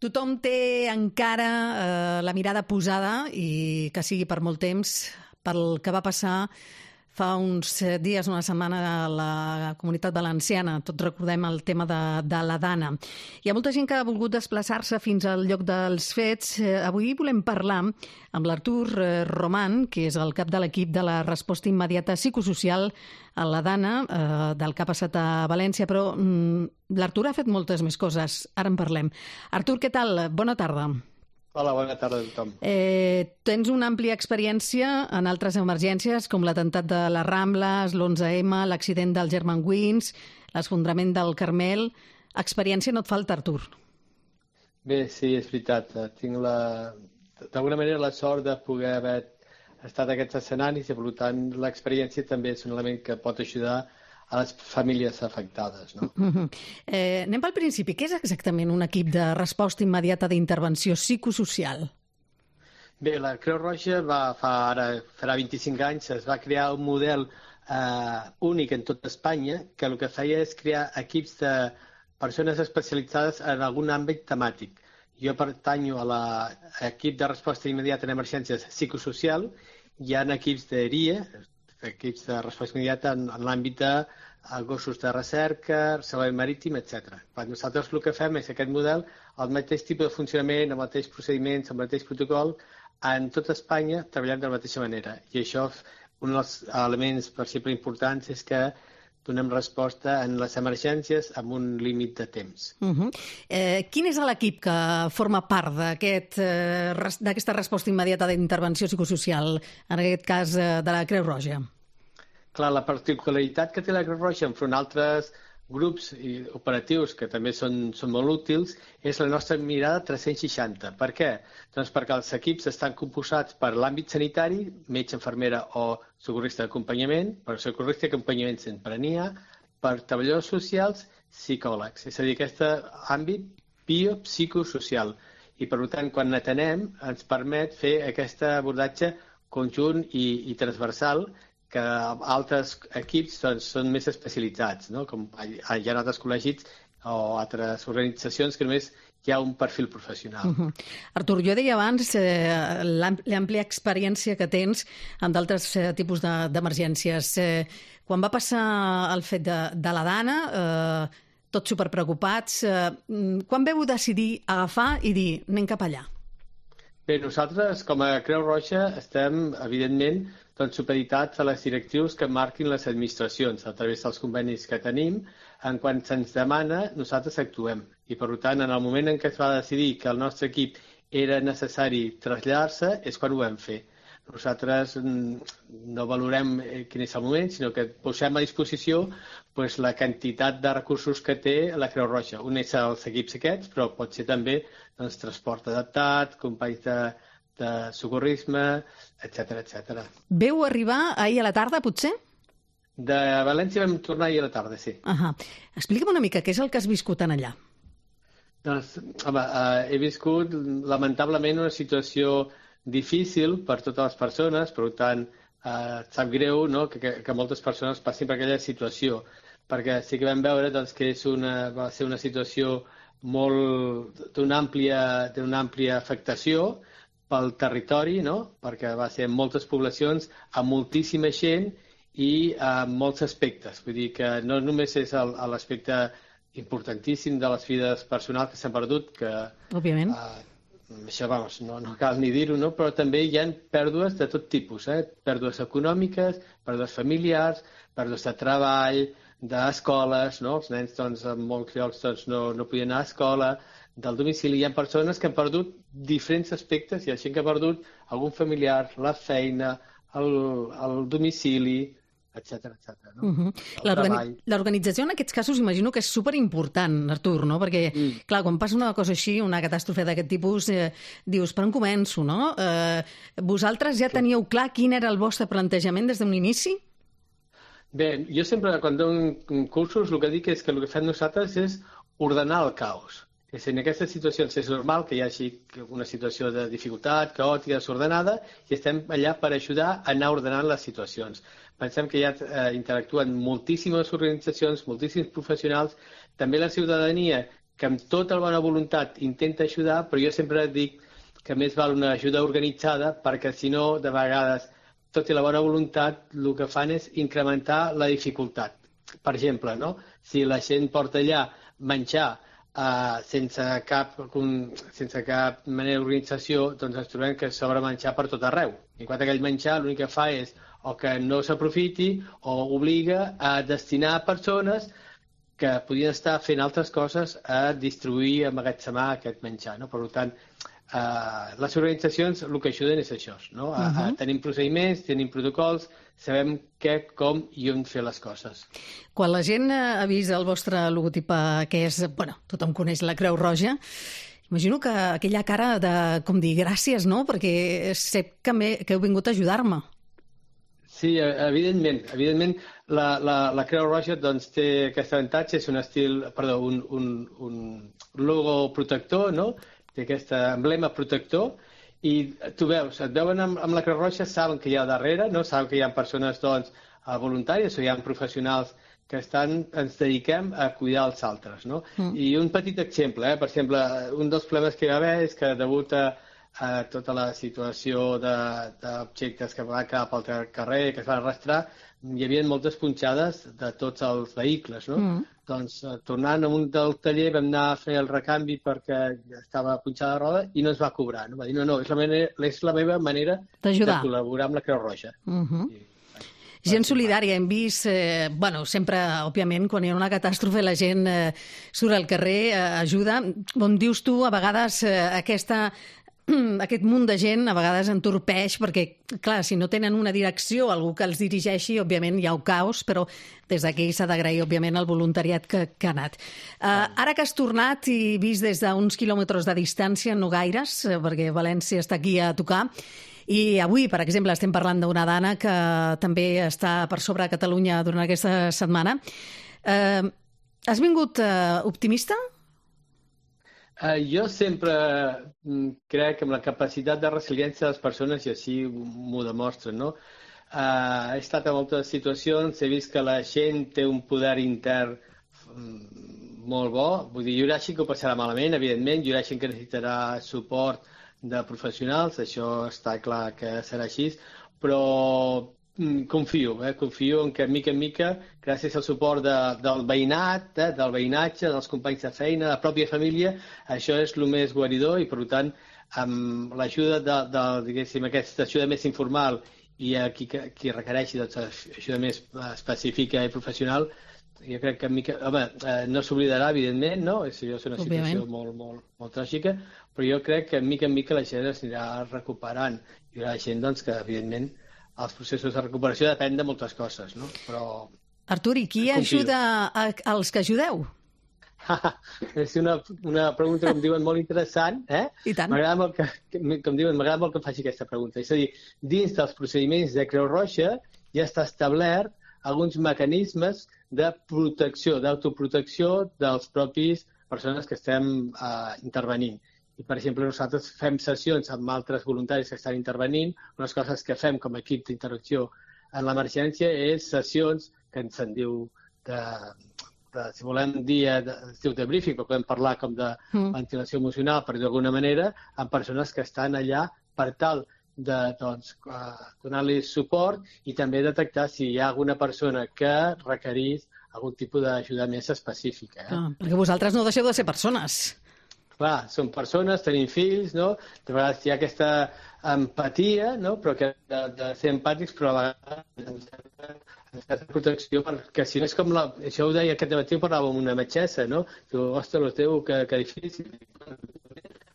Tothom té encara la mirada posada, i que sigui per molt temps, pel que va passar fa uns dies, una setmana, a la Comunitat Valenciana. Tots recordem el tema de la Dana. Hi ha molta gent que ha volgut desplaçar-se fins al lloc dels fets. Avui volem parlar amb l'Artur Roman, que és el cap de l'equip de la resposta immediata psicosocial a la Dana, del que ha passat a València, però l'Artur ha fet moltes més coses. Ara en parlem. Artur, què tal? Bona tarda. Hola, bona tarda a tothom. Tens una àmplia experiència en altres emergències, com l'atemptat de les Rambles, l'11M, l'accident del Germanwings, l'esfondrament del Carmel. Experiència no et falta, Artur. Bé, sí, és veritat. Tinc d'alguna manera la sort de poder haver estat en aquests escenaris i, per tant, l'experiència també és un element que pot ajudar a les famílies afectades, no? Anem pel principi. Què és exactament un equip de resposta immediata d'intervenció psicosocial? Bé, la Creu Roja farà 25 anys, es va crear un model únic en tot Espanya, que el que feia és crear equips de persones especialitzades en algun àmbit temàtic. Jo pertanyo a l'equip de resposta immediata en emergències psicosocial. Hi ha equips d'ERIE, equips de resposta immediata en l'àmbit de gossos de recerca, salvament marítim, etc. Nosaltres el que fem és aquest model, el mateix tipus de funcionament, el mateix procediments, el mateix protocol, en tot Espanya treballant de la mateixa manera. I això, un dels elements, per exemple, importants és que donem resposta en les emergències amb un límit de temps. Quin és l'equip que forma part d'aquesta resposta immediata d'intervenció psicosocial, en aquest cas de la Creu Roja? Clar, la particularitat que té la Creu Roja enfront d'altres grups operatius que també són molt útils és la nostra mirada 360. Per què? Doncs perquè els equips estan composats per l'àmbit sanitari, metge, infermera o socorrista d'acompanyament, per socorrista d'acompanyament sempre n'hi ha, per treballadors socials, psicòlegs. És a dir, aquest àmbit biopsicosocial. I, per tant, quan n'atenem, ens permet fer aquest abordatge conjunt i transversal, que altres equips són més especialitzats, no? Com hi ha altres col·legis o altres organitzacions que només hi ha un perfil professional. Artur, jo deia abans l'àmplia experiència que tens en d'altres tipus d'emergències. Quan va passar el fet de la Dana, tots superpreocupats, quan veu decidir agafar i dir anem cap allà? Bé, nosaltres, com a Creu Roja, estem, evidentment, supeditats a les directrius que marquin les administracions a través dels convenis que tenim. En quan se'ns demana, nosaltres actuem. I, per tant, en el moment en què es va decidir que el nostre equip era necessari traslladar-se, és quan ho vam fer. Nosaltres no valorem quin és el moment, sinó que posem a disposició la quantitat de recursos que té la Creu Roja. Un és els equips aquests, però pot ser també transport adaptat, companys de socorrisme, etc. Veu arribar ahir a la tarda, potser? De València vam tornar ahir a la tarda, sí. Explica'm una mica què és el que has viscut en allà. Doncs, home, he viscut, lamentablement, una situació difícil per totes les persones, per tant, sap greu, no?, que moltes persones passin per aquella situació, perquè sí que vam veure que va ser una situació d'una àmplia afectació pel territori, no?, perquè va ser en moltes poblacions, amb moltíssima gent i amb molts aspectes. Vull dir que no només és l'aspecte importantíssim de les vides personals que s'han perdut, que òbviament això, no cal ni dir-ho, no?, però també hi ha pèrdues de tot tipus, pèrdues econòmiques, pèrdues familiars, pèrdues de treball, d'escoles, no?, els nens en molts llocs no podien anar a escola, del domicili. Hi ha persones que han perdut diferents aspectes, hi ha gent que ha perdut algun familiar, la feina, el domicili, etc. No? L'organització en aquests casos imagino que és superimportant, Artur, no? Perquè, clar, quan passa una cosa així, una catàstrofe d'aquest tipus, dius, per on començo, no? Vosaltres ja teníeu clar quin era el vostre plantejament des d'un inici? Bé, jo sempre, quan dono cursos, el que dic és que el que fem nosaltres és ordenar el caos. És en aquestes situacions és normal que hi hagi una situació de dificultat, caòtica, desordenada, i estem allà per ajudar a anar ordenant les situacions. Pensem que ja interactuen moltíssimes organitzacions, moltíssims professionals, també la ciutadania, que amb tota la bona voluntat intenta ajudar, però jo sempre dic que més val una ajuda organitzada, perquè si no, de vegades, tot i la bona voluntat, el que fan és incrementar la dificultat. Per exemple, no? Si la gent porta allà menjar sense cap manera d'organització, doncs ens trobem que s'obre menjar per tot arreu. I quan aquell menjar l'únic que fa és o que no s'aprofiti o obliga a destinar a persones que podien estar fent altres coses a distribuir, a emmagatzemar aquest menjar. No? Per tant, les organitzacions el que ajuden és això, no? Tenim procediments, tenim protocols, sabem què, com i on fer les coses. Quan la gent ha vist el vostre logotip, que és, bueno, tothom coneix la Creu Roja, imagino que aquella cara de, com dir, gràcies, no? Perquè sé que heu vingut a ajudar-me. Sí, evidentment. Evidentment, la Creu Roja doncs, té aquest avantatge, és un logo protector, no? Té aquest emblema protector, i tu veus, et veuen amb la Creu Roja, saben que hi ha darrere, no? Saben que hi ha persones doncs, voluntàries o hi ha professionals que ens dediquem a cuidar els altres. No? I un petit exemple, per exemple, un dels problemes que hi va haver és que degut a tota la situació d'objectes que van quedar pel carrer, que es van arrastrar, hi havia moltes punxades de tots els vehicles. No? Doncs tornant a un del taller vam anar a fer el recanvi perquè estava punxada la roda i no es va cobrar. No? Va dir, no, és la meva manera de col·laborar amb la Creu Roja. Gent solidària, hem vist, sempre, òbviament, quan hi ha una catàstrofe la gent surt al carrer, ajuda. Com dius tu, a vegades aquest munt de gent a vegades entorpeix perquè, clar, si no tenen una direcció, algú que els dirigeixi, òbviament hi ha un caos, però des d'aquí s'ha d'agrair, òbviament, el voluntariat que ha anat. Ara que has tornat i vist des d'uns quilòmetres de distància, no gaires, perquè València està aquí a tocar, i avui, per exemple, estem parlant d'una dana que també està per sobre a Catalunya durant aquesta setmana. Has vingut optimista? Jo sempre crec en la capacitat de resiliència de les persones i així m'ho demostren. No? He estat en moltes situacions, he vist que la gent té un poder intern molt bo. Vull dir, hi haurà gent que ho passarà malament, evidentment, hi haurà gent que necessitarà suport de professionals, això està clar que serà així, però confio en que mica en mica, gràcies al suport del veïnat, del veïnatge, dels companys de feina, de la pròpia família, això és el més guaridor i, per tant, amb l'ajuda diguéssim, aquesta ajuda més informal i qui requereixi ajuda més específica i professional, jo crec que no s'oblidarà, evidentment, no? És una situació molt tràgica, però jo crec que mica en mica la gent es anirà recuperant. Hi haurà gent doncs, que, evidentment, els processos de recuperació depèn de moltes coses, no? Però Artur, i qui ajuda als que ajudeu? És una pregunta, com diuen, molt interessant. I tant. M'agrada molt que em faci aquesta pregunta. És a dir, dins dels procediments de Creu Roja ja està establert alguns mecanismes de protecció, d'autoprotecció dels propis persones que estem intervenint. I, per exemple, nosaltres fem sessions amb altres voluntaris que estan intervenint. Unes coses que fem com a equip d'interacció en l'emergència és sessions que se'n diu si volem dir de briefing, però podem parlar com de ventilació emocional, per dir d'alguna manera, amb persones que estan allà per tal de donar-li suport i també detectar si hi ha alguna persona que requerís algun tipus d'ajuda més específica. Perquè vosaltres no deixeu de ser persones. Clar, som persones, tenim fills, no? De vegades hi ha aquesta empatia, no? Però que de ser empàtics, però a vegades necessitat de protecció, perquè si no és com això ho deia aquest matí, parlava amb una metgessa, no? Diu, ostres, que difícil.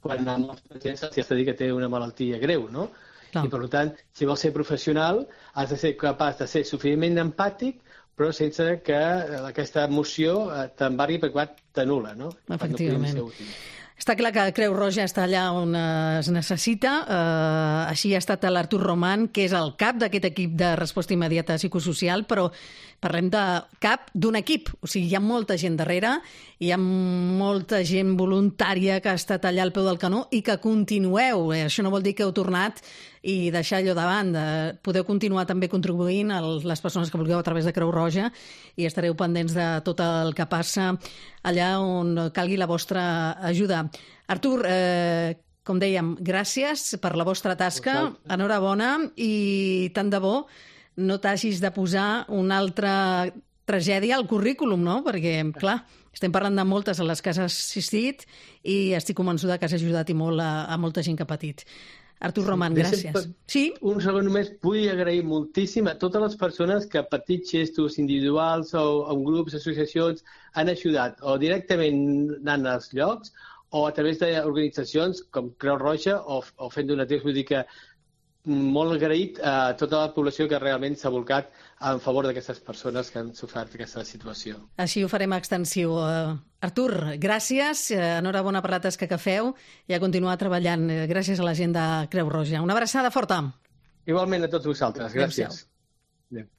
Quan amb els pacients s'ha de dir que té una malaltia greu, no? I, per tant, si vols ser professional, has de ser capaç de ser suficientment empàtic, però sense que aquesta emoció t'embargui perquè t'anul·la, no? Efectivament. Està clar que Creu Roja està allà on es necessita. Així ha estat l'Artur Roman, que és el cap d'aquest equip de resposta immediata psicosocial, però parlem de cap d'un equip. O sigui, hi ha molta gent darrere, hi ha molta gent voluntària que ha estat allà al peu del canó i que continueu. Això no vol dir que heu tornat i deixar allò de banda. Podeu continuar també contribuint a les persones que vulgueu a través de Creu Roja i estareu pendents de tot el que passa allà on calgui la vostra ajuda. Artur, com dèiem, gràcies per la vostra tasca, enhorabona i tant de bo no t'hagis de posar una altra tragèdia al currículum, no? Perquè, clar, estem parlant de moltes a les que has assistit i estic convençuda que has ajudat i molt a molta gent que ha patit. Artur Roman, gràcies. Sí? Un segon només, vull agrair moltíssim a totes les persones que a petits gestos individuals o en grups, associacions, han ajudat o directament anant als llocs o a través d'organitzacions com Creu Roja o fent donatius. Vull dir que molt agraït a tota la població que realment s'ha volcat en favor d'aquestes persones que han sofert aquesta situació. Així ho farem extensiu. Artur, gràcies, enhorabona per la tasca que feu i a continuar treballant. Gràcies a la gent de Creu Roja. Una abraçada forta. Igualment a tots vosaltres. Gràcies. Adéu-siau.